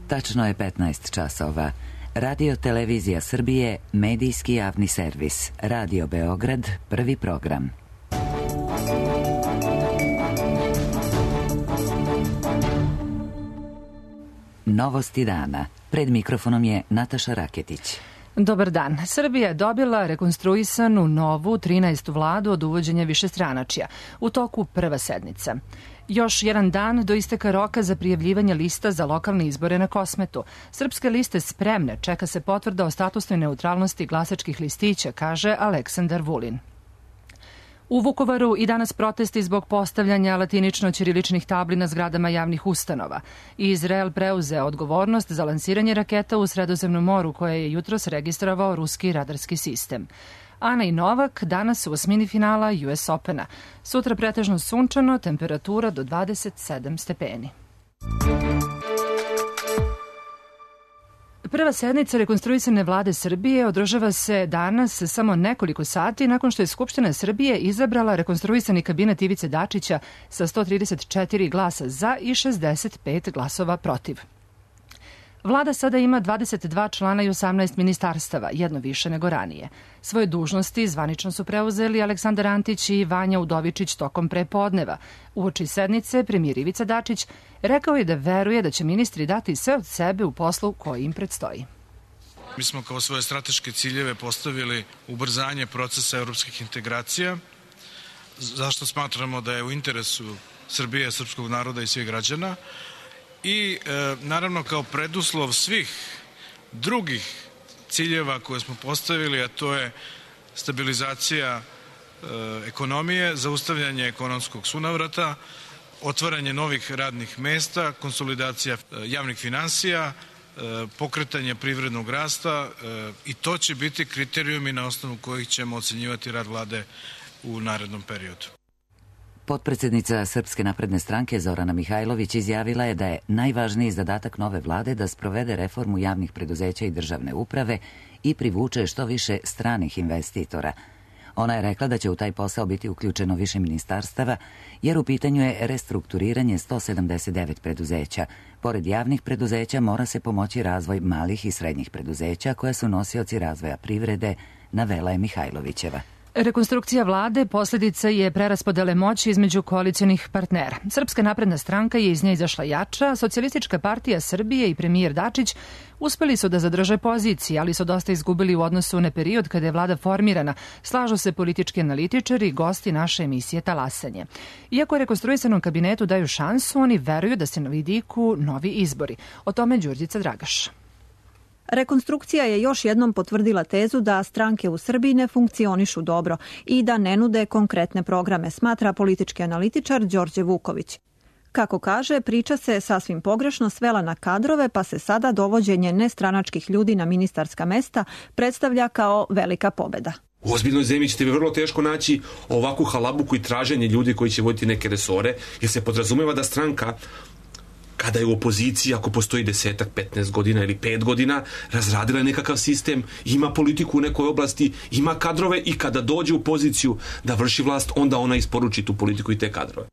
Tačno je 15 časova. Radio Televizija Srbije, medijski javni servis. Radio Beograd, prvi program. Novosti dana. Pred mikrofonom je Nataša Raketić. Dobar dan. Srbija je dobila rekonstruisanu novu 13. vladu od uvođenja višestranačja. U toku prva sednica. Još jedan dan do isteka roka za prijavljivanje lista za lokalne izbore na Kosmetu. Srpske liste spremne, čeka se potvrda o statusnoj neutralnosti glasačkih listića, kaže Aleksandar Vulin. U Vukovaru i danas protesti zbog postavljanja latinično-ćiriličnih tabli na zgradama javnih ustanova. Izrael preuzeo odgovornost za lansiranje raketa u Sredozemnom moru koje je jutros registrovao ruski radarski sistem. Ana i Novak danas u osmini finala US Opena. Sutra pretežno sunčano, temperatura do 27 stepeni. Prva sednica rekonstruisane vlade Srbije održava se danas samo nekoliko sati nakon što je Skupština Srbije izabrala rekonstruisani kabinet Ivice Dačića sa 134 glasa za i 65 glasova protiv. Vlada sada ima 22 člana i 18 ministarstava, jedno više nego ranije. Svoje dužnosti zvanično su preuzeli Aleksandar Antić i Vanja Udovičić tokom prepodneva. Uoči sednice premijer Ivica Dačić rekao je da veruje da će ministri dati sve od sebe u poslu koji im predstoji. Mi smo kao svoje strateške ciljeve postavili ubrzanje procesa evropskih integracija, zašto smatramo da je u interesu Srbije, srpskog naroda i svih građana, i naravno kao preduslov svih drugih ciljeva koje smo postavili, a to je stabilizacija ekonomije, zaustavljanje ekonomskog sunavrata, otvaranje novih radnih mesta, konsolidacija javnih finansija, pokretanje privrednog rasta, i to će biti kriterijumi na osnovu kojih ćemo ocenjivati rad vlade u narednom periodu. Potpredsednica Srpske napredne stranke Zorana Mihajlović izjavila je da je najvažniji zadatak nove vlade da sprovede reformu javnih preduzeća i državne uprave i privuče što više stranih investitora. Ona je rekla da će u taj posao biti uključeno više ministarstava, jer u pitanju je restrukturiranje 179 preduzeća. Pored javnih preduzeća mora se pomoći razvoj malih i srednjih preduzeća koje su nosioci razvoja privrede, navela je Mihajlovićeva. Rekonstrukcija vlade posljedica je preraspodele moći između koalicionih partnera. Srpska napredna stranka je iz nje izašla jača, Socijalistička partija Srbije i premijer Dačić uspeli su da zadrže pozicije, ali su dosta izgubili u odnosu na period kada je vlada formirana, slažu se politički analitičari i gosti naše emisije Talasanje. Iako rekonstruisanom kabinetu daju šansu, oni veruju da se na vidiku novi izbori. O tome Đurđica Dragaš. Rekonstrukcija je još jednom potvrdila tezu da stranke u Srbiji ne funkcionišu dobro i da ne nude konkretne programe, smatra politički analitičar Đorđe Vuković. Kako kaže, priča se sasvim pogrešno svela na kadrove, pa se sada dovođenje nestranačkih ljudi na ministarska mesta predstavlja kao velika pobeda. U ozbiljnoj zemlji ćete vrlo teško naći ovakvu halabuku i traženje ljudi koji će voditi neke resore, jer se podrazumeva da stranka kada je u opoziciji, ako postoji 10, 15 godina ili 5 godina, razradila je nekakav sistem, ima politiku u nekoj oblasti, ima kadrove i kada dođe u poziciju da vrši vlast, onda ona isporuči tu politiku i te kadrove.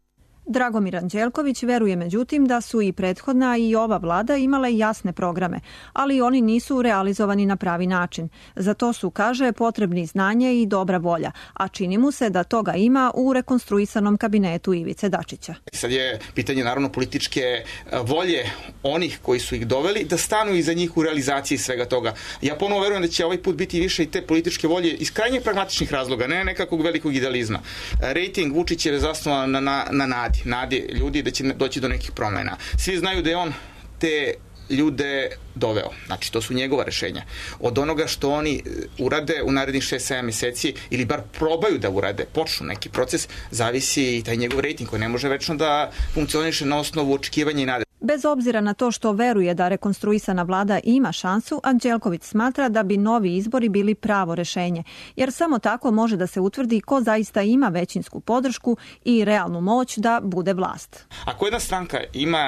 Dragomir Anđelković veruje međutim da su i prethodna i ova vlada imale jasne programe, ali oni nisu realizovani na pravi način. Za to su, kaže, potrebni znanje i dobra volja, a čini mu se da toga ima u rekonstruisanom kabinetu Ivice Dačića. Sad je pitanje naravno političke volje onih koji su ih doveli da stanu iza njih u realizaciji svega toga. Ja ponovo verujem da će ovaj put biti više i te političke volje iz krajnje pragmatičnih razloga, ne nekakvog velikog idealizma. Rating Vučićev je zasnovan na nadi ljudi da će doći do nekih promjena. Svi znaju da je on te ljude doveo. Znači, to su njegova rešenja. Od onoga što oni urade u narednih 6-7 mjeseci ili bar probaju da urade, počnu neki proces, zavisi i taj njegov rating koji ne može večno da funkcioniše na osnovu očekivanja i nade. Bez obzira na to što veruje da rekonstruisana vlada ima šansu, Anđelković smatra da bi novi izbori bili pravo rešenje, jer samo tako može da se utvrdi ko zaista ima većinsku podršku i realnu moć da bude vlast. Ako jedna stranka ima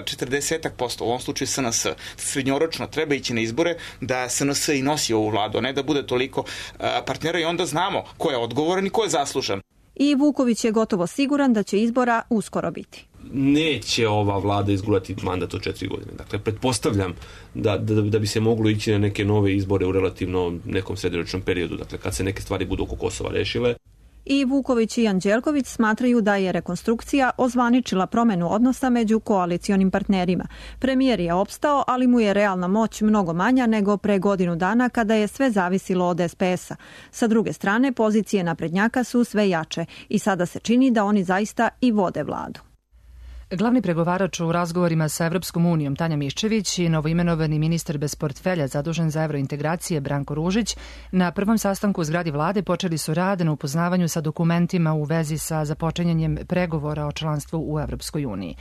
40%, u ovom slučaju SNS, srednjoročno treba ići na izbore da SNS i nosi ovu vladu, a ne da bude toliko partnera, i onda znamo ko je odgovoran i ko je zaslužan. I Vuković je gotovo siguran da će izbora uskoro biti. neće ova vlada izgulati mandat od 4 godine. Dakle, pretpostavljam da bi se moglo ići na neke nove izbore u relativno nekom srednjoročnom periodu, dakle, kad se neke stvari budu oko Kosova rešile. I Vuković i Anđelković smatraju da je rekonstrukcija ozvaničila promenu odnosa među koalicionim partnerima. Premijer je opstao, ali mu je realna moć mnogo manja nego pre godinu dana kada je sve zavisilo od SPS-a. Sa druge strane, pozicije naprednjaka su sve jače i sada se čini da oni zaista i vode vladu. Glavni pregovarač u razgovorima sa Evropskom unijom Tanja Miščević i novoimenovani ministar bez portfelja zadužen za evrointegracije Branko Ružić na prvom sastanku u zgradi vlade počeli su rad na upoznavanju sa dokumentima u vezi sa započinjanjem pregovora o članstvu u Evropskoj uniji.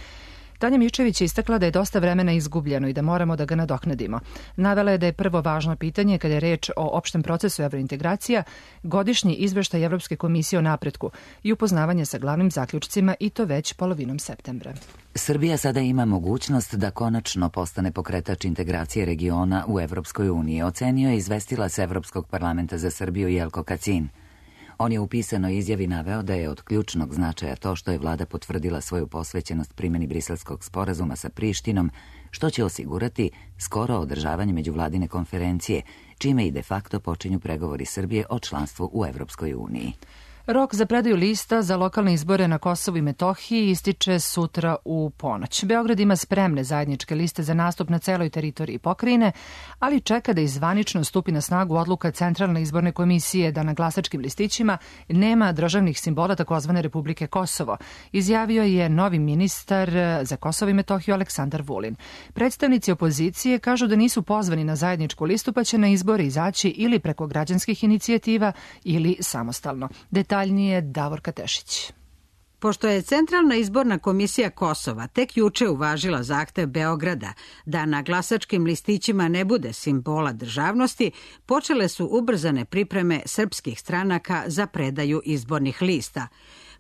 Tanja Miščević je istakla da je dosta vremena izgubljeno i da moramo da ga nadoknadimo. Navela je da je prvo važno pitanje kada je reč o opštem procesu evrointegracija godišnji izveštaj Evropske komisije o napretku i upoznavanje sa glavnim zaključcima i to već polovinom septembra. Srbija sada ima mogućnost da konačno postane pokretač integracije regiona u Evropskoj uniji, ocenio je izvestilac Evropskog parlamenta za Srbiju Jelko Kacin. On je u pisanoj izjavi naveo da je od ključnog značaja to što je vlada potvrdila svoju posvećenost primjeni Briselskog sporazuma sa Prištinom, što će osigurati skoro održavanje međuvladine konferencije, čime i de facto počinju pregovori Srbije o članstvu u Evropskoj uniji. Rok za predaju lista za lokalne izbore na Kosovu i Metohiji ističe sutra u ponoć. Beograd ima spremne zajedničke liste za nastup na celoj teritoriji pokrajine, ali čeka da zvanično stupi na snagu odluka Centralne izborne komisije da na glasačkim listićima nema državnih simbola takozvane Republike Kosovo, izjavio je novi ministar za Kosovo i Metohiju Aleksandar Vulin. Predstavnici opozicije kažu da nisu pozvani na zajedničku listu pa će na izbore izaći ili preko građanskih inicijativa ili samostalno. Detaljnije Davorka Tešić. Pošto je Centralna izborna komisija Kosova tek juče uvažila zahtev Beograda da na glasačkim listićima ne bude simbola državnosti, počele su ubrzane pripreme srpskih stranaka za predaju izbornih lista.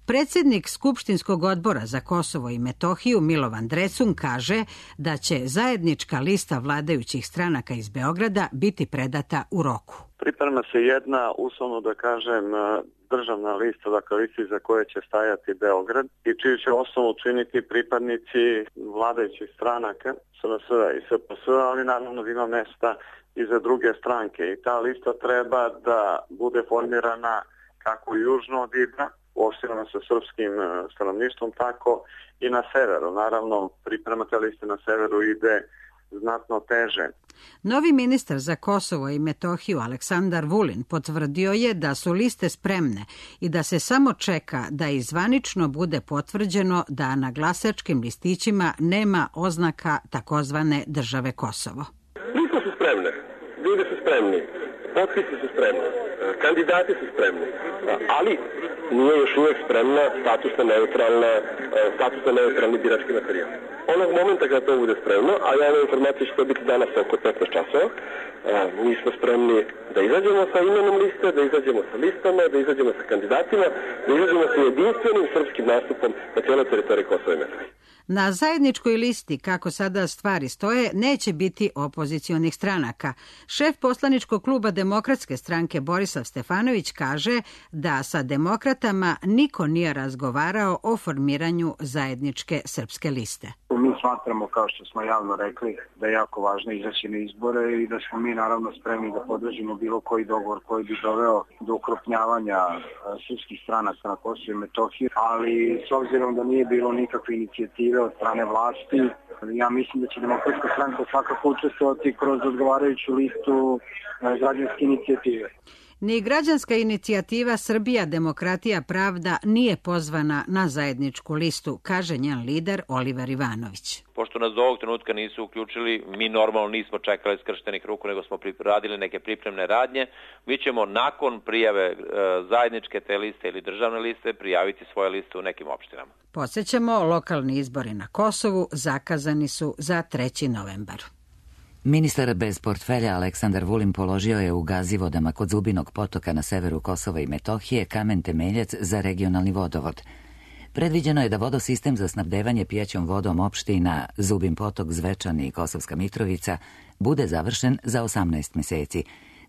Predsjednik Skupštinskog odbora za Kosovo i Metohiju Milovan Drecun kaže da će zajednička lista vladajućih stranaka iz Beograda biti predata u roku. Priprema se jedna, uslovno da kažem, državna lista, dakle listi za koje će stajati Beograd i čiju će osnovu činiti pripadnici vladajućih stranaka, SNS i SPS, ali naravno da ima mesta i za druge stranke. I ta lista treba da bude formirana kako južno od Ibra, uopštinama sa srpskim stanovništvom, tako i na severu. Naravno, priprema te liste na severu ide znatno teže. Novi ministar za Kosovo i Metohiju Aleksandar Vulin potvrdio je da su liste spremne i da se samo čeka da i zvanično bude potvrđeno da na glasačkim listićima nema oznaka takozvane države Kosovo. Liste su spremne, ljudi su spremni, potpisi su spremni, kandidati su spremni, ali nije još uvijek spremna statusno neutralni birački materijal. Onog momenta kada to bude spremno, a javna informacija će to biti danas oko 15 časova, mi smo spremni da izađemo sa imenom liste, da izađemo sa listama, da izađemo sa kandidatima, da izađemo sa jedinstvenim srpskim nastupom na cijeloj teritoriji Kosova i Metohije. Na zajedničkoj listi, kako sada stvari stoje, neće biti opozicionih stranaka. Šef poslaničkog kluba Demokratske stranke Borislav Stefanović kaže da sa demokratama niko nije razgovarao o formiranju zajedničke srpske liste. Mi smatramo, kao što smo javno rekli, da je jako važno izaći na izbore i da smo mi naravno spremni da podržimo bilo koji dogovor koji bi doveo do ukrupnjavanja srpskih stranaca na Kosovu i Metohiji, ali s obzirom da nije bilo nikakve inicijative od strane vlasti, ja mislim da će Demokratska stranka svakako učestvovati kroz odgovarajuću listu građanske inicijative. Ni građanska inicijativa Srbija, demokratija, pravda nije pozvana na zajedničku listu, kaže njen lider Oliver Ivanović. Pošto nas do ovog trenutka nisu uključili, mi normalno nismo čekali skrštenih ruku, nego smo radili neke pripremne radnje. Mi ćemo nakon prijave zajedničke te liste ili državne liste prijaviti svoje liste u nekim opštinama. Podsećamo, lokalni izbori na Kosovu zakazani su za 3. novembar. Ministar bez portfelja Aleksandar Vulin položio je u Gazivodama kod Zubinog potoka na severu Kosova i Metohije kamen temeljac za regionalni vodovod. Predviđeno je da vodosistem za snabdevanje pijaćom vodom opština Zubin potok, Zvečan i Kosovska Mitrovica bude završen za 18 meseci.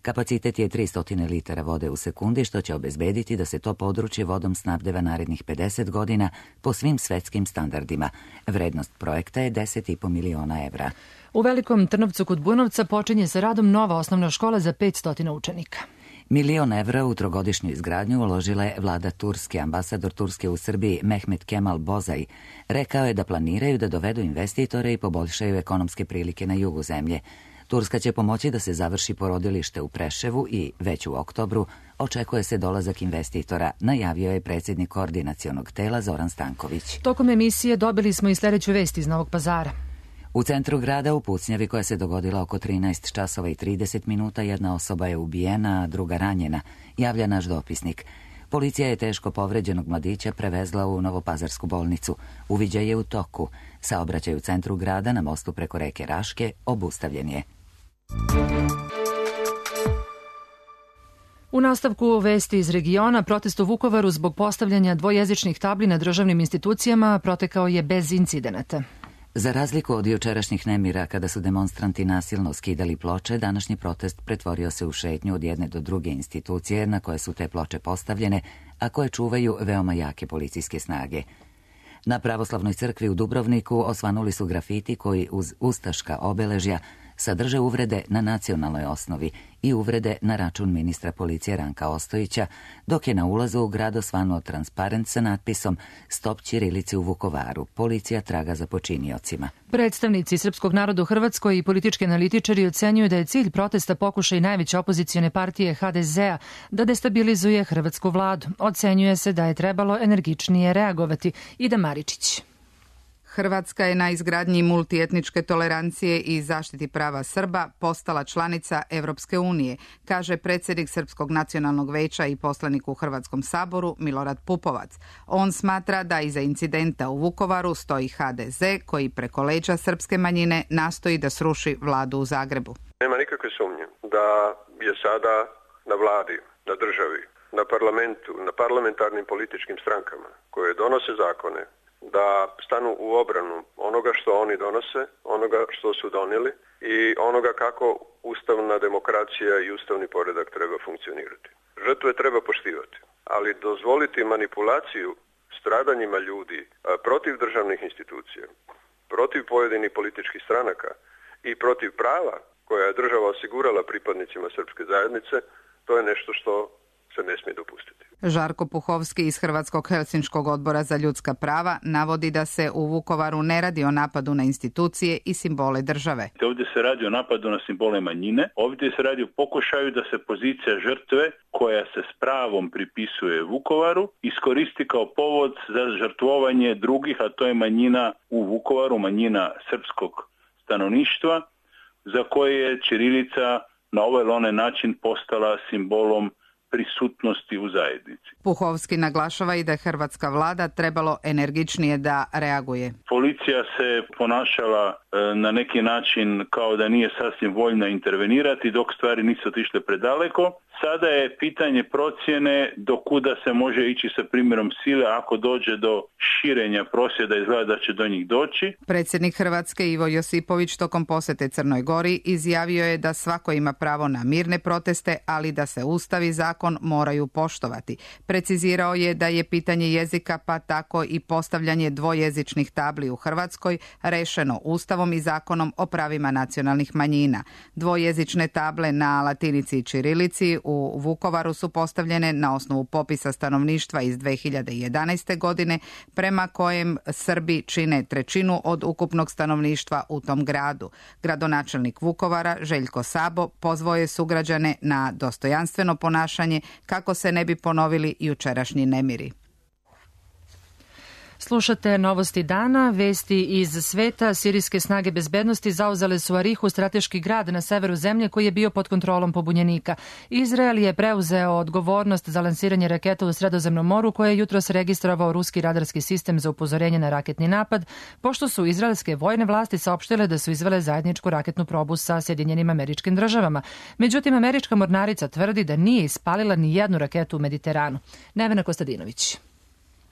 Kapacitet je 300 litara vode u sekundi, što će obezbediti da se to područje vodom snabdeva narednih 50 godina po svim svetskim standardima. Vrednost projekta je 10,5 miliona evra. U Velikom Trnovcu kod Bunovca počinje sa radom nova osnovna škola za 500 učenika. 1 milion evra u trogodišnju izgradnju uložila je vlada Turske. Ambasador Turske u Srbiji Mehmet Kemal Bozaj rekao je da planiraju da dovedu investitore i poboljšaju ekonomske prilike na jugu zemlje. Turska će pomoći da se završi porodilište u Preševu i već u oktobru očekuje se dolazak investitora, najavio je predsjednik koordinacionog tela Zoran Stanković. Tokom emisije dobili smo i sljedeću vest iz Novog Pazara. U centru grada u pucnjavi koja se dogodila oko 13 časova i 30 minuta jedna osoba je ubijena, a druga ranjena, javlja naš dopisnik. Policija je teško povređenog mladića prevezla u Novopazarsku bolnicu. Uviđaj je u toku. Saobraćaj u centru grada na mostu preko reke Raške obustavljen je. U nastavku vesti iz regiona, protest u Vukovaru zbog postavljanja dvojezičnih tabli na državnim institucijama protekao je bez incidenata. Za razliku od jučerašnjih nemira kada su demonstranti nasilno skidali ploče, današnji protest pretvorio se u šetnju od jedne do druge institucije na koje su te ploče postavljene, a koje čuvaju veoma jake policijske snage. Na Pravoslavnoj crkvi u Dubrovniku osvanuli su grafiti koji uz ustaška obeležja sadrže uvrede na nacionalnoj osnovi i uvrede na račun ministra policije Ranka Ostojića, dok je na ulazu u grad osvanuo transparent sa natpisom Stop ćirilici u Vukovaru, policija traga za počiniocima. Predstavnici srpskog naroda u Hrvatskoj i politički analitičari ocenjuju da je cilj protesta pokušaj najveće opozicione partije HDZ-a da destabilizuje hrvatsku vladu. Ocenjuje se da je trebalo energičnije reagovati. Ida Maričić. Hrvatska je na izgradnji multietničke tolerancije i zaštiti prava Srba postala članica Evropske unije, kaže predsjednik Srpskog nacionalnog veća i poslanik u Hrvatskom saboru Milorad Pupovac. On smatra da iza incidenta u Vukovaru stoji HDZ koji preko leđa srpske manjine nastoji da sruši vladu u Zagrebu. Nema nikakve sumnje da je sada na vladi, na državi, na parlamentu, na parlamentarnim političkim strankama koje donose zakone, da stanu u obranu onoga što oni donose, onoga što su donijeli i onoga kako ustavna demokracija i ustavni poredak treba funkcionirati. Žrtve treba poštivati, ali dozvoliti manipulaciju stradanjima ljudi protiv državnih institucija, protiv pojedinih političkih stranaka i protiv prava koja je država osigurala pripadnicima srpske zajednice, to je nešto što se ne smije dopustiti. Žarko Puhovski iz Hrvatskog Helsinškog odbora za ljudska prava navodi da se u Vukovaru ne radi o napadu na institucije i simbole države. Ovdje se radi o napadu na simbole manjine, ovdje se radi o pokušaju da se pozicija žrtve koja se s pravom pripisuje Vukovaru iskoristi kao povod za žrtvovanje drugih, a to je manjina u Vukovaru, manjina srpskog stanovništva, za koje je ćirilica na ovaj ili onaj način postala simbolom prisutnosti u zajednici. Puhovski naglašava i da je hrvatska vlada trebalo energičnije da reaguje. Policija se ponašala na neki način kao da nije sasvim voljna intervenirati dok stvari nisu otišle predaleko. Sada je pitanje procjene do kuda se može ići sa primjerom sile ako dođe do širenja prosvjeda, izgleda da će do njih doći. Predsjednik Hrvatske Ivo Josipović tokom posjete Crnoj Gori izjavio je da svako ima pravo na mirne proteste, ali da se Ustav i zakon moraju poštovati. Precizirao je da je pitanje jezika, pa tako i postavljanje dvojezičnih tabli u Hrvatskoj rešeno Ustavom i zakonom o pravima nacionalnih manjina. Dvojezične table na latinici i ćirilici u Vukovaru su postavljene na osnovu popisa stanovništva iz 2011. godine, prema kojem Srbi čine 1/3 od ukupnog stanovništva u tom gradu. Gradonačelnik Vukovara, Željko Sabo, pozvao je sugrađane na dostojanstveno ponašanje kako se ne bi ponovili jučerašnji nemiri. Slušate novosti dana, vesti iz sveta. Sirijske snage bezbednosti zauzele su Arihu, strateški grad na severu zemlje koji je bio pod kontrolom pobunjenika. Izrael je preuzeo odgovornost za lansiranje raketa u Sredozemnom moru koje je jutros registrovao ruski radarski sistem za upozorenje na raketni napad, pošto su izraelske vojne vlasti saopštile da su izvele zajedničku raketnu probu sa Sjedinjenim Američkim Državama. Međutim, američka mornarica tvrdi da nije ispalila ni jednu raketu u Mediteranu. Nevena Kostadinović.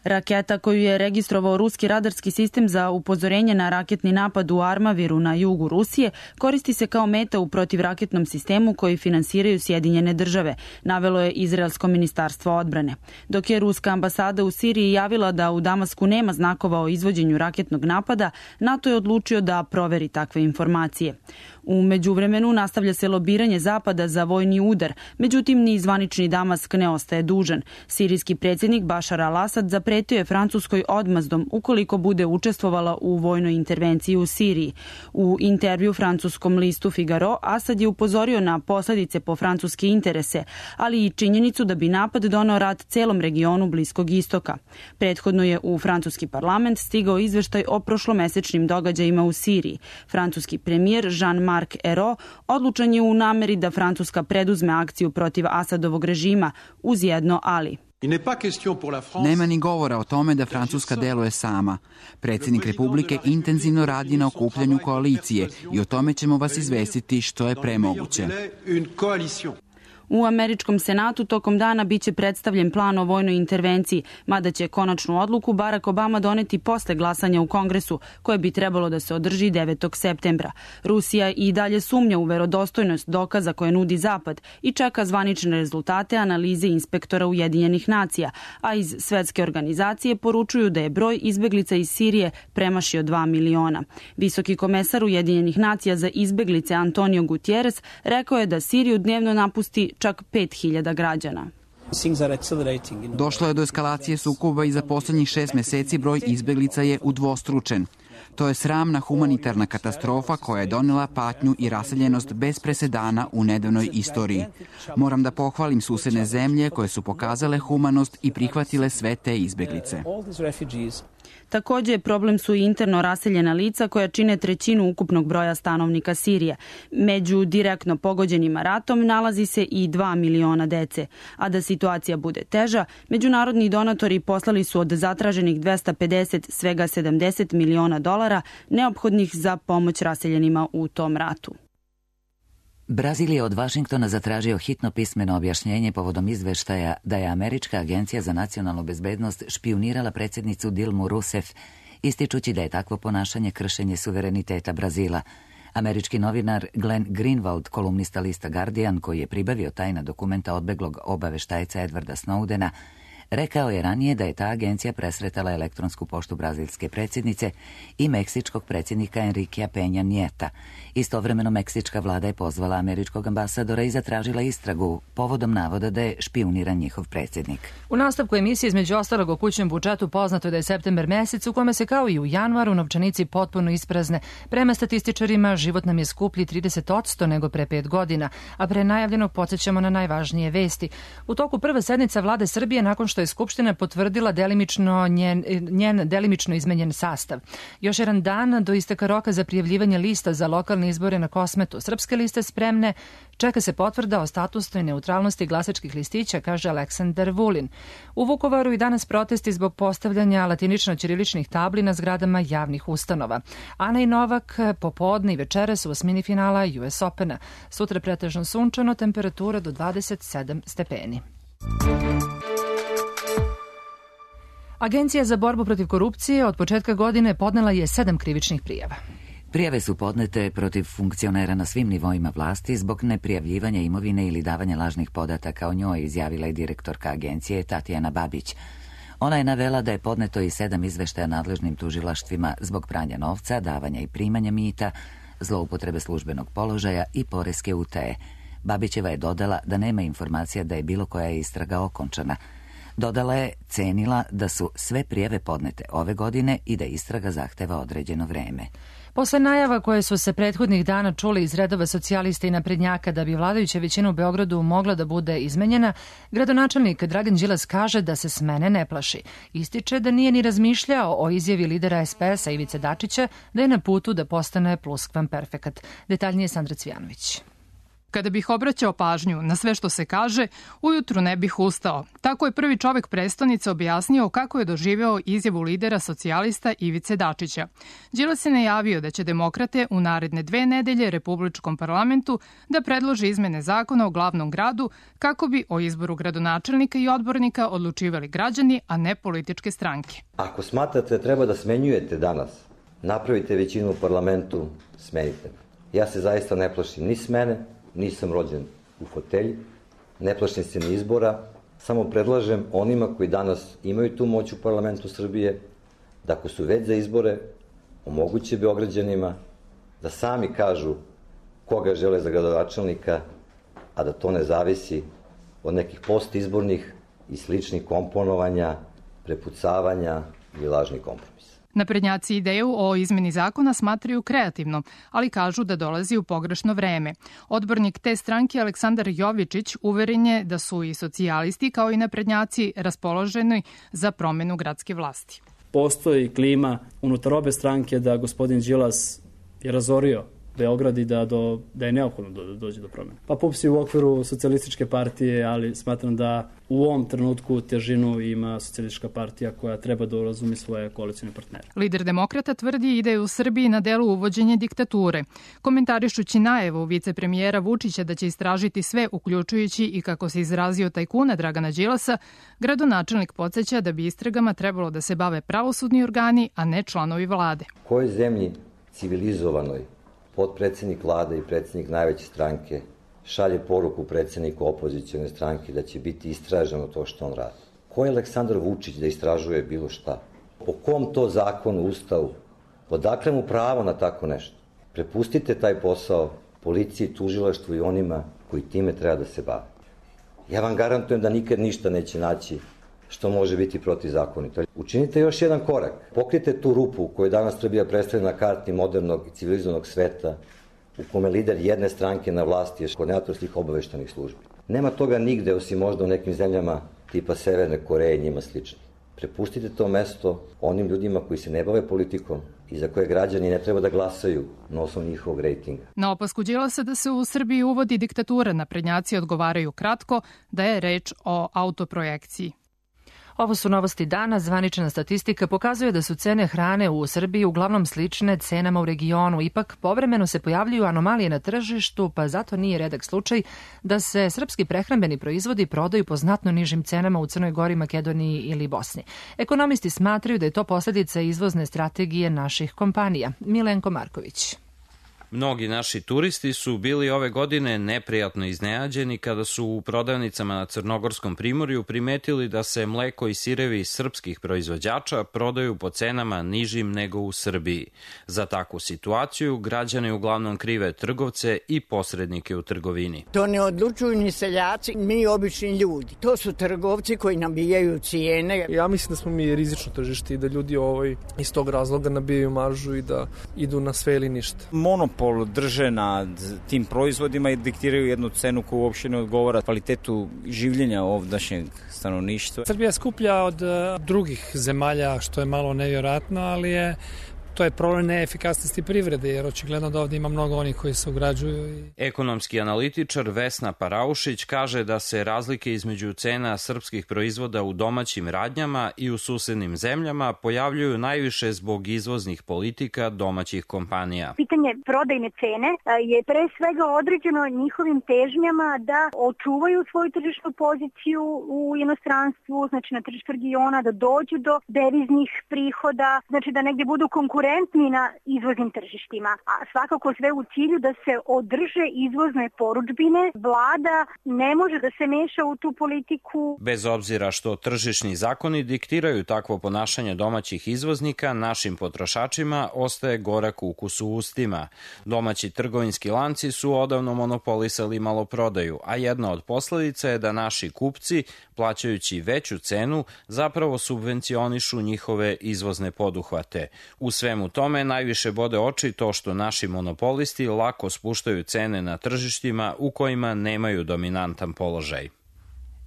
Raketa koju je registrovao ruski radarski sistem za upozorenje na raketni napad u Armaviru na jugu Rusije koristi se kao meta u protivraketnom sistemu koji finansiraju Sjedinjene države, navelo je Izraelsko ministarstvo odbrane. Dok je ruska ambasada u Siriji javila da u Damasku nema znakova o izvođenju raketnog napada, NATO je odlučio da proveri takve informacije. U međuvremenu nastavlja se lobiranje Zapada za vojni udar, međutim ni zvanični Damask ne ostaje dužan. Sirijski predsjednik Bašar al-Asad zapretio je Francuskoj odmazdom ukoliko bude učestvovala u vojnoj intervenciji u Siriji. U intervju francuskom listu Figaro, Asad je upozorio na posledice po francuske interese, ali i činjenicu da bi napad doneo rat celom regionu Bliskog istoka. Prethodno je u francuski parlament stigao izveštaj o prošlomesečnim događajima u Siriji. Francuski premijer Jean-Marc Ayrault odlučan je u nameri da Francuska preduzme akciju protiv Asadovog režima uz jedno ali. Nema ni govora o tome da Francuska deluje sama. Predsjednik Republike intenzivno radi na okupljanju koalicije i o tome ćemo vas izvestiti što je premoguće. U američkom senatu tokom dana biće predstavljen plan o vojnoj intervenciji, mada će konačnu odluku Barack Obama doneti posle glasanja u Kongresu, koje bi trebalo da se održi 9. septembra. Rusija i dalje sumnja u verodostojnost dokaza koje nudi Zapad i čeka zvanične rezultate analize inspektora Ujedinjenih nacija, a iz svetske organizacije poručuju da je broj izbeglica iz Sirije premašio 2 miliona. Visoki komesar Ujedinjenih nacija za izbeglice Antonio Gutierrez rekao je da Siriju dnevno napusti čak 5.000 građana. Došlo je do eskalacije sukoba i za poslednjih 6 meseci broj izbeglica je udvostručen. To je sramna humanitarna katastrofa koja je donela patnju i raseljenost bez presedana u nedavnoj istoriji. Moram da pohvalim susedne zemlje koje su pokazale humanost i prihvatile sve te izbeglice. Također problem su i interno raseljena lica koja čine trećinu ukupnog broja stanovnika Sirije. Među direktno pogođenima ratom nalazi se i 2 miliona dece. A da situacija bude teža, međunarodni donatori poslali su od zatraženih 250 svega $70 miliona neophodnih za pomoć raseljenima u tom ratu. Brazil je od Vašingtona zatražio hitno pismeno objašnjenje povodom izveštaja da je Američka agencija za nacionalnu bezbednost špijunirala predsjednicu Dilmu Rousseff, ističući da je takvo ponašanje kršenje suvereniteta Brazila. Američki novinar Glenn Greenwald, kolumnista lista Guardian, koji je pribavio tajna dokumenta odbeglog obaveštajca Edwarda Snowdena, rekao je ranije da je ta agencija presretala elektronsku poštu brazilske predsjednice i meksičkog predsjednika Enriquea Peña Nieta. Istovremeno meksička vlada je pozvala američkog ambasadora i zatražila istragu povodom navoda da je špijuniran njihov predsjednik. U nastavku emisije između ostalog o kućnom budžetu poznato je da je september mesec u kome se kao i u januaru novčanici potpuno isprazne. Prema statističarima život nam je skuplji 30% nego pre 5 godina, a pre najavljenog podsjećamo na najvažnije vesti. U toku prve sednica vlade Srbije nakon što je Skupština potvrdila njen delimično izmenjen sastav. Još jedan dan do isteka roka za prijavljivanje lista za lokalne izbore na Kosmetu. Srpske liste spremne, čeka se potvrda o statusnoj neutralnosti glasačkih listića, kaže Aleksandar Vulin. U Vukovaru i danas protesti zbog postavljanja latinično-ćiriličnih tabli na zgradama javnih ustanova. Ana i Novak popodne i večeras u osmini finala US Opena. Sutra pretežno sunčano, temperatura do 27 stepeni. Agencija za borbu protiv korupcije od početka godine podnela je 7 krivičnih prijava. Prijave su podnete protiv funkcionera na svim nivoima vlasti zbog neprijavljivanja imovine ili davanja lažnih podataka o njoj, izjavila je direktorka agencije Tatjana Babić. Ona je navela da je podneto i 7 izveštaja nadležnim tužilaštvima zbog pranja novca, davanja i primanja mita, zloupotrebe službenog položaja i poreske utaje. Babićeva je dodala da nema informacija da je bilo koja istraga okončana. Dodala je, cenila da su sve prijave podnete ove godine i da istraga zahteva određeno vreme. Posle najava koje su se prethodnih dana čuli iz redova socijalista i naprednjaka da bi vladajuća većina u Beogradu mogla da bude izmenjena, gradonačelnik Dragan Đilas kaže da se smene ne plaši. Ističe da nije ni razmišljao o izjavi lidera SPS-a Ivice Dačića da je na putu da postane pluskvamperfekat. Detaljnije Sandra Cvijanović. Kada bih obraćao pažnju na sve što se kaže, ujutru ne bih ustao. Tako je prvi čovek prestonice objasnio kako je doživeo izjavu lidera socijalista Ivice Dačića. Đilas je najavio da će demokrate u naredne 2 nedelje Republičkom parlamentu da predlože izmene zakona o glavnom gradu kako bi o izboru gradonačelnika i odbornika odlučivali građani, a ne političke stranke. Ako smatrate da treba da smenjujete danas, napravite većinu u parlamentu, smenite. Ja se zaista ne plašim ni smene, nisam rođen u fotelji, ne plašim se ni izbora, samo predlažem onima koji danas imaju tu moć u parlamentu Srbije, da ako su već za izbore, omoguće Beograđanima da sami kažu koga žele za gradonačelnika, a da to ne zavisi od nekih postizbornih i sličnih komponovanja, prepucavanja i lažnih kompromisa. Naprednjaci ideju o izmeni zakona smatraju kreativno, ali kažu da dolazi u pogrešno vreme. Odbornik te stranke Aleksandar Jovičić uveren je da su i socijalisti kao i naprednjaci raspoloženi za promenu gradske vlasti. Postoji klima unutar obe stranke da gospodin Đilas je razorio Beograd i da je neophodno da dođe do promjene. Pa PUPS je u okviru socijalističke partije, ali smatram da u ovom trenutku težinu ima socijalistička partija koja treba da razumi svoje koalicijne partnere. Lider demokrata tvrdi i da je u Srbiji na delu uvođenje diktature. Komentarišući najavu vicepremijera Vučića da će istražiti sve, uključujući i, kako se izrazio, tajkuna Dragana Đilasa, gradonačelnik podsjeća da bi istragama trebalo da se bave pravosudni organi, a ne članovi vlade. U kojoj zemlji civilizovanoj potpredsednik vlade i predsednik najveće stranke šalje poruku predsedniku opozicijone stranke da će biti istraženo to što on radi? Ko je Aleksandar Vučić da istražuje bilo šta? Po kom to zakonu, ustavu? Odakle mu pravo na tako nešto? Prepustite taj posao policiji, tužilaštvu i onima koji time treba da se bave. Ja vam garantujem da nikad ništa neće naći što može biti protivzakonito. Učinite još jedan korak. Pokrijte tu rupu koju danas Srbija predstavlja na karti modernog i civilizovanog sveta, u kome lider jedne stranke na vlasti je koordinator svih obaveštajnih službi. Nema toga nigde, osim možda u nekim zemljama tipa Severne Koreje i njima slični. Prepustite to mesto onim ljudima koji se ne bave politikom i za koje građani ne treba da glasaju na osnovu njihovog rejtinga. Na opasku Đilasa da se u Srbiji uvodi diktatura, naprednjaci odgovaraju kratko da je reč o autoprojekciji. Ovo su novosti dana. Zvanična statistika pokazuje da su cene hrane u Srbiji uglavnom slične cenama u regionu. Ipak, povremeno se pojavljuju anomalije na tržištu, pa zato nije redak slučaj da se srpski prehrambeni proizvodi prodaju po znatno nižim cenama u Crnoj Gori, Makedoniji ili Bosni. Ekonomisti smatraju da je to posljedica izvozne strategije naših kompanija. Milenko Marković. Mnogi naši turisti su bili ove godine neprijatno iznenađeni kada su u prodavnicama na Crnogorskom primorju primetili da se mleko i sirevi srpskih proizvođača prodaju po cenama nižim nego u Srbiji. Za takvu situaciju građani uglavnom krive trgovce i posrednike u trgovini. To ne odlučuju ni seljaci, mi obični ljudi. To su trgovci koji nabijaju cijene. Ja mislim da smo mi rizično tržište i da ljudi iz tog razloga nabijaju maržu i da idu na sve ili ništa. Monopol drže nad tim proizvodima i diktiraju jednu cenu koju uopšte ne odgovara kvalitetu življenja ovdašnjeg stanovništva. Srbija skuplja od drugih zemalja, što je malo nevjerojatno, ali to je problem neefikasnosti privrede, jer očigledno da ovdje ima mnogo onih koji se ugrađuju. Ekonomski analitičar Vesna Paraušić kaže da se razlike između cena srpskih proizvoda u domaćim radnjama i u susednim zemljama pojavljuju najviše zbog izvoznih politika domaćih kompanija. Pitanje prodajne cene je pre svega određeno njihovim težnjama da očuvaju svoju tržišnu poziciju u inostranstvu, znači na tržištu regiona, da dođu do deviznih prihoda, znači da negdje budu konkurentni na izvoznim tržištima, a svakako sve u cilju da se održe izvozne porudžbine. Vlada ne može da se meša u tu politiku. Bez obzira što tržišni zakoni diktiraju takvo ponašanje domaćih izvoznika, našim potrošačima ostaje gorak ukus u ustima. Domaći trgovinski lanci su odavno monopolisali maloprodaju, a jedna od posledica je da naši kupci, plaćajući veću cenu, zapravo subvencionišu njihove izvozne poduhvate. U svemu tome najviše bode oči to što naši monopolisti lako spuštaju cene na tržištima u kojima nemaju dominantan položaj.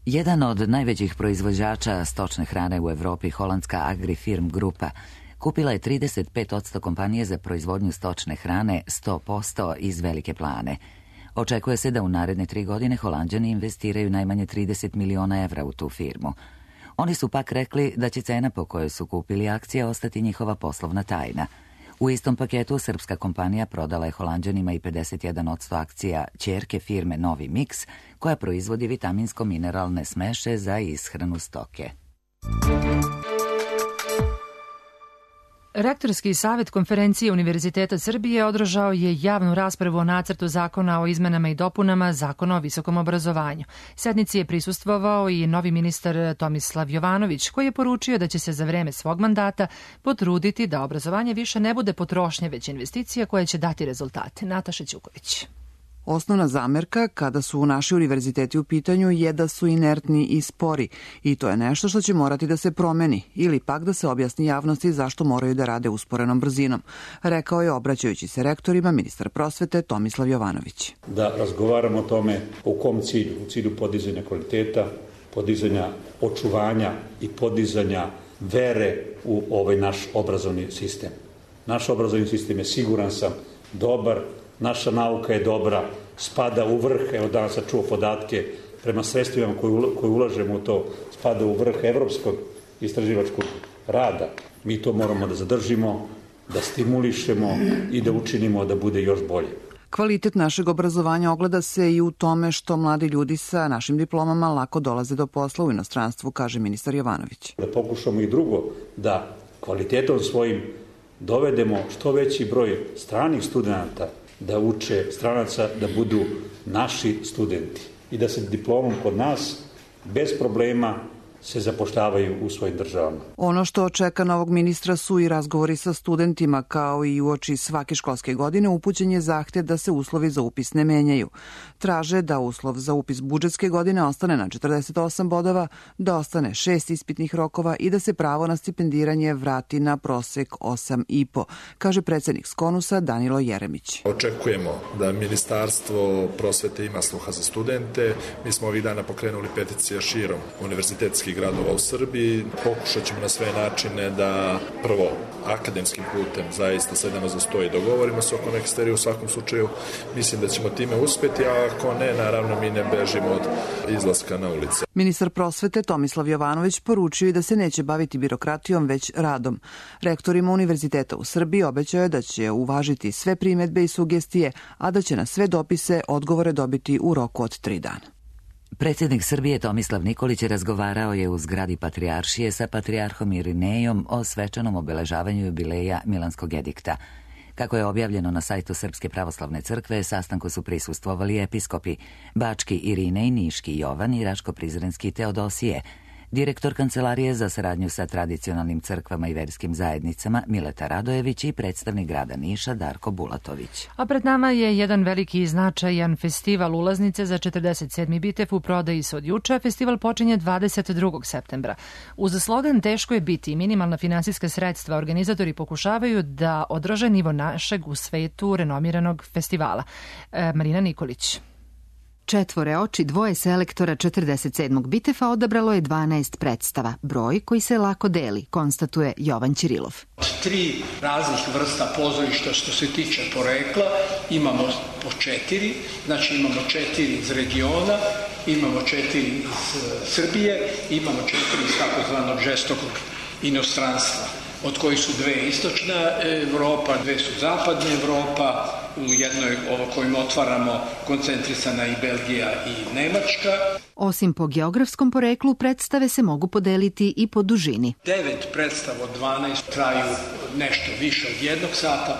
Jedan od najvećih proizvođača stočne hrane u Evropi, holandska Agrifirm grupa, kupila je 35% kompanije za proizvodnju stočne hrane 100% iz Velike Plane. Očekuje se da u naredne 3 godine Holanđani investiraju najmanje 30 miliona evra u tu firmu. Oni su pak rekli da će cena po kojoj su kupili akcije ostati njihova poslovna tajna. U istom paketu srpska kompanija prodala je Holanđanima i 51% akcija ćerke firme Novi Mix, koja proizvodi vitaminsko-mineralne smeše za ishranu stoke. Rektorski savjet Konferencije Univerziteta Srbije održao je javnu raspravu o nacrtu zakona o izmenama i dopunama Zakona o visokom obrazovanju. Sednici je prisustvovao i novi ministar Tomislav Jovanović, koji je poručio da će se za vreme svog mandata potruditi da obrazovanje više ne bude potrošnja, već investicija koja će dati rezultate. Nataša Ćuković. Osnovna zamerka kada su naši univerziteti u pitanju je da su inertni i spori i to je nešto što će morati da se promeni ili pak da se objasni javnosti zašto moraju da rade usporenom brzinom, rekao je obraćajući se rektorima ministar prosvete Tomislav Jovanović. Da razgovaramo o tome u kom cilju, u cilju podizanja kvaliteta, podizanja očuvanja i podizanja vere u ovaj naš obrazovni sistem. Naš obrazovni sistem je, siguran sam, dobar. Naša nauka je dobra, spada u vrh, evo danas sam čuo podatke, prema sredstvima koje ulažemo u to, spada u vrh evropskog istraživačkog rada. Mi to moramo da zadržimo, da stimulišemo i da učinimo da bude još bolje. Kvalitet našeg obrazovanja ogleda se i u tome što mladi ljudi sa našim diplomama lako dolaze do posla u inostranstvu, kaže ministar Jovanović. Da pokušamo i drugo, da kvalitetom svojim dovedemo što veći broj stranih studenata da uče, stranaca da budu naši studenti i da se diplomom kod nas bez problema se zapošljavaju u svojim državama. Ono što čeka novog ministra su i razgovori sa studentima, kao i uoči svake školske godine upućen je zahtev da se uslovi za upis ne menjaju. Traže da uslov za upis budžetske godine ostane na 48 bodova, da ostane 6 ispitnih rokova i da se pravo na stipendiranje vrati na prosek 8,5, kaže predsednik Skonusa Danilo Jeremić. Očekujemo da Ministarstvo prosvete ima sluha za studente. Mi smo ovih dana pokrenuli peticije širom univerzitetskih gradova u Srbiji. Pokušat ćemo na sve načine da prvo akademskim putem zaista sedemo za sto i dogovorimo se oko neke stvari. U svakom slučaju mislim da ćemo time uspeti, a ako ne, naravno mi ne bežimo od izlaska na ulice. Ministar prosvete Tomislav Jovanović poručio i da se neće baviti birokratijom, već radom. Rektorima univerziteta u Srbiji obećao je da će uvažiti sve primedbe i sugestije, a da će na sve dopise odgovore dobiti u roku od 3 dana. Predsjednik Srbije Tomislav Nikolić razgovarao je u zgradi Patrijaršije sa patrijarhom Irinejom o svečanom obeležavanju jubileja Milanskog edikta. Kako je objavljeno na sajtu Srpske pravoslavne crkve, sastanku su prisustvovali episkopi Bački Irinej, Niški Jovan i Raško-Prizrenski Teodosije, direktor Kancelarije za saradnju sa tradicionalnim crkvama i verskim zajednicama Mileta Radojević i predstavnik grada Niša Darko Bulatović. A pred nama je jedan veliki i značajan festival ulaznice za 47. Bitev u prodaji se od juče. Festival počinje 22. septembra. Uz slogan Teško je biti i minimalna finansijska sredstva, organizatori pokušavaju da održe nivo našeg u svetu renomiranog festivala. Marina Nikolić. 4 oči, 2 selektora 47. Bitefa odabralo je 12 predstava, broj koji se lako deli, konstatuje Jovan Ćirilov. 3 raznih vrsta pozorišta što se tiče porekla, imamo po 4, znači imamo 4 iz regiona, imamo 4 iz Srbije, imamo 4 iz takozvanog žestokog inostranstva, od kojih su 2 istočna Evropa, 2 su zapadna Evropa, u jednoj kojim otvaramo koncentrisana i Belgija i Nemačka. Osim po geografskom poreklu, predstave se mogu podeliti i po dužini. 9 predstava od 12 traju nešto više od 1 sata,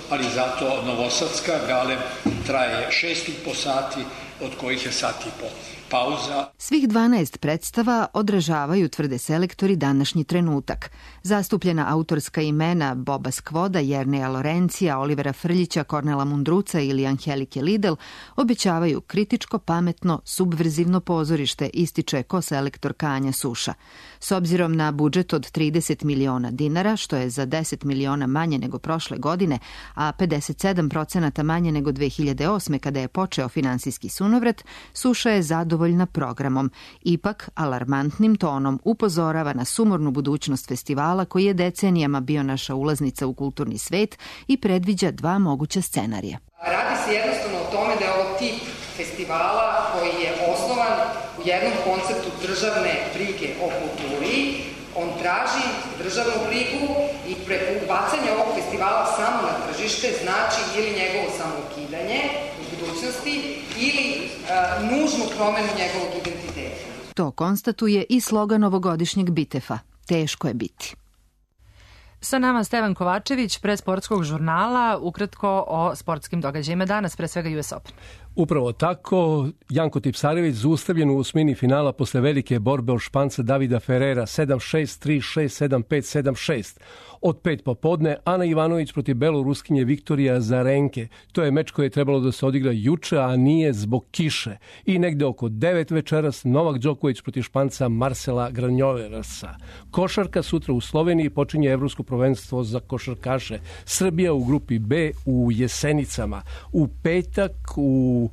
ali zato Novosadska Galeb traje 6,5 sati, od kojih je sat i po pauza. Svih 12 predstava odražavaju, tvrde selektori, današnji trenutak. Zastupljena autorska imena Boba Skvoda, Jerneja Lorencija, Olivera Frljića, Kornela Mundruca ili Angelike Lidl obećavaju kritičko, pametno, subverzivno pozorište, ističe koselektor Kanja Suša. S obzirom na budžet od 30 miliona dinara, što je za 10 miliona manje nego prošle godine, a 57% manje nego 2008. kada je počeo finansijski sunovrat, Suša je zadovoljno zadovoljna programom. Ipak, alarmantnim tonom upozorava na sumornu budućnost festivala koji je decenijama bio naša ulaznica u kulturni svet i predviđa dva moguća scenarija. Radi se jednostavno o tome da je ovo tip festivala koji je osnovan u jednom konceptu državne brige o kulturi. On traži državnu brigu i bacanje ovog festivala samo na tržište znači ili njegovo samoukidanje u budućnosti ili nužnu promenu njegovog identiteta. To konstatuje i slogan ovogodišnjeg Bitefa. Teško je biti. Sa nama Stevan Kovačević, pre sportskog žurnala, ukratko o sportskim događajima danas, pre svega US Open. Upravo tako, Janko Tipsarević zaustavljen u osmini finala posle velike borbe od Španca Davida Ferrera 7-6, 3-6, 7-5, 7-6. Od 5 popodne Ana Ivanović protiv beloruskinje Viktorija Zarenke. To je meč koji je trebalo da se odigra juče, a nije zbog kiše. I negde oko 9 večeras Novak Đoković protiv Španca Marcela Granjoverasa. Košarka sutra u Sloveniji počinje evropsko prvenstvo za košarkaše. Srbija u grupi B u Jesenicama. U petak u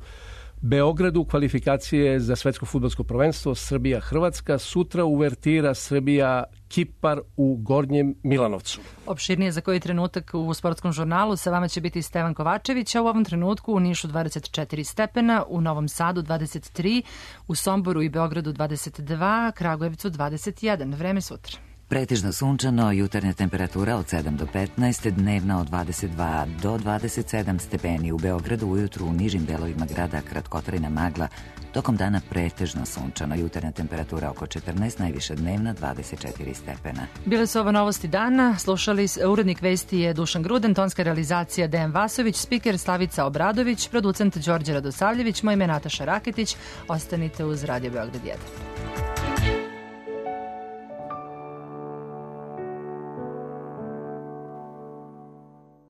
Beogradu kvalifikacije za svetsko fudbalsko prvenstvo Srbija-Hrvatska, sutra uvertira Srbija-Kipar u Gornjem Milanovcu. Opširnije za koji trenutak u sportskom žurnalu sa vama će biti Stevan Kovačević, a u ovom trenutku u Nišu 24 stepena, u Novom Sadu 23, u Somboru i Beogradu 22, Kragujevcu 21. Vreme sutra. Pretežno sunčano, jutarnja temperatura od 7 do 15, dnevna od 22 do 27 stepeni u Beogradu, ujutru u nižim delovima grada kratkotrajna magla, tokom dana pretežno sunčano, jutarnja temperatura oko 14, najviše dnevna 24 stepena. Bile su ovo novosti dana, slušali urednik vesti je Dušan Gruden, tonska realizacija Dejan Vasović, spiker Slavica Obradović, producent Đorđe Radosavljević, moje ime Nataša Raketić, ostanite uz Radio Beograd 1.